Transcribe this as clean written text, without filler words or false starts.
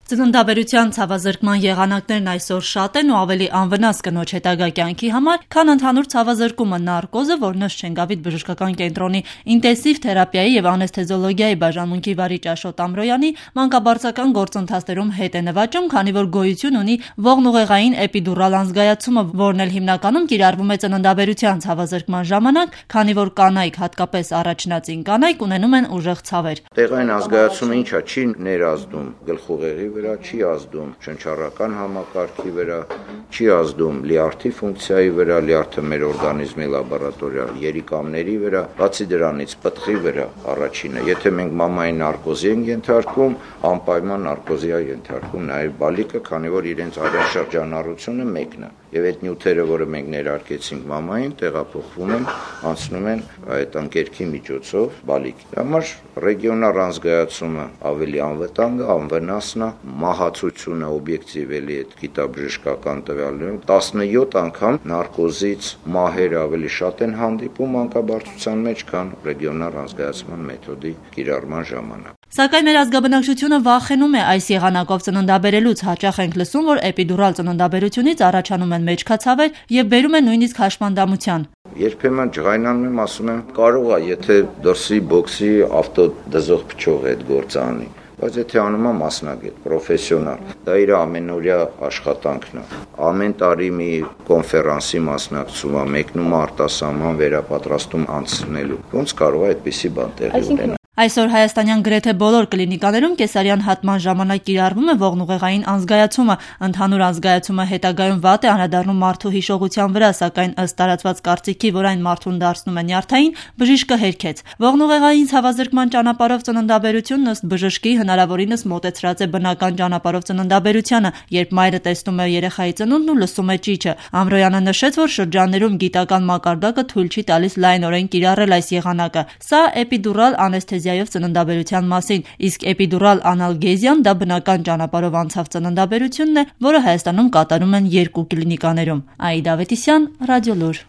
Ծննդաբերության ցավազրկման եղանակներն այսօր շատ են ու ավելի անվնաս կնոջ հետագա կյանքի համար, քան ընդհանուր ցավազրկումը նարկոզը, որ Նշչենգավիթ բժշկական կենտրոնի ինտենսիվ թերապիայի եւ անեսթեզիոլոգիայի բաժանմունքի վարիչ Աշոտ Ամրոյանի մանկաբարձական գործընթացներում հետ է նվաճում, քանի որ գոյություն ունի ողնուղեղային էպիդուրալ անզգայացումը, որն էլ հիմնականում կիրառվում է ծննդաբերության ցավազրկման ժամանակ, քանի որ կանայք, հատկապես առաջնածին կանայք, ունենում են ուժեղ ցավեր։ Տեղային անզգայացումը ինչա չի ներազդում գլխուղեղի վրա, չի ազդում շնչառական համակարգի վրա, չի ազդում լյարդի ֆունկցիայի վրա, լյարդը մեր օրգանիզմի լաբորատորիալ երիկամների վրա, բացի դրանից պտղի վրա առաջինը, եթե մենք մամային նարկոզի ենք ենթարկում, անպայման նարկոզի է ենթարկում նաև բալիկը, քանի որ իրենց արյան շրջանառությունը մեկն է, եւ այդ նյութերը, որը մենք ներարկեցինք մամային, տեղափոխվում են, անցնում են այդ անկերքի միջոցով բալիկի։ Համար ռեգիոնալ անզգայացումը ավելի անվտանգ է, անվնասն է, մահացությունը օբյեկտիվ էլի այդ գիտաբժշկական տվյալներում 17 անգամ նարկոզից մահերը ավելի շատ են հանդիպում մանկաբարձության մեջ, քան ռեգիոնալ անզգայացման մեթոդի կիրառման ժամանակ։ Սակայն մեր ազգաբնակչությունը վախենում է այս եղանակով ծննդաբերելուց, հաճախ ենք լսում, որ էպիդուրալ ծննդաբերությունից առաջանում են մեջքացավեր եւ բերում են նույնիսկ հաշմանդամության։ Երբեմն ջղայնանում եմ, ասում եմ, կարող է, եթե դրսի բոքսի ավտոդզող փչող այդ գործը անի, բայց եթե անում է մասնագետ, պրոֆեսիոնալ, դա իր ամենօրյա աշխատանքն է։ Ամեն տարի մի կոնֆերանսի մասնակցում է, մեկնում է արտասահման վերապատրաստում անցնելու։ Ոնց կարող է այդպիսի բան տեղի ունենալ։ Այսօր հայաստանյան գրեթե բոլոր կլինիկաներում կեսարյան հատման ժամանակ կիրառվում է ողնուղեղային անզգայացումը, ընդհանուր անզգայացումը հետագայում վատ է անդրադառնում մարդու հիշողության վրա, սակայն ըստ տարածված կարծիքի, որ այն մարդուն դարձնում է նյարդային, բժիշկը հերքեց։ Ողնուղեղային ցավազրկման ճանապարհով ծննդաբերությունն ըստ բժշկի հնարավորինս մոտեցրած է բնական ճանապարհով ծննդաբերությանը, երբ մայրը տեսնում է երեխայի ծնունդն ու լսում է ճիչը։ Ամրոյանը նշեց, որ շրջաններում գիտական մակարդակը թույլ չի տալիս լայնորեն կիրառել այս եղանակը։ Սա էպիդուրալ անեսթեզիայով ծննդաբերության մասին, իսկ էպիդուրալ անալգեզիան դա բնական ճանապարհով անցավ ծննդաբերությունն է, որը Հայաստանում կատարում են 2 կլինիկաներում։ Աիդա Ավետիսյան, Ռադիոլուր։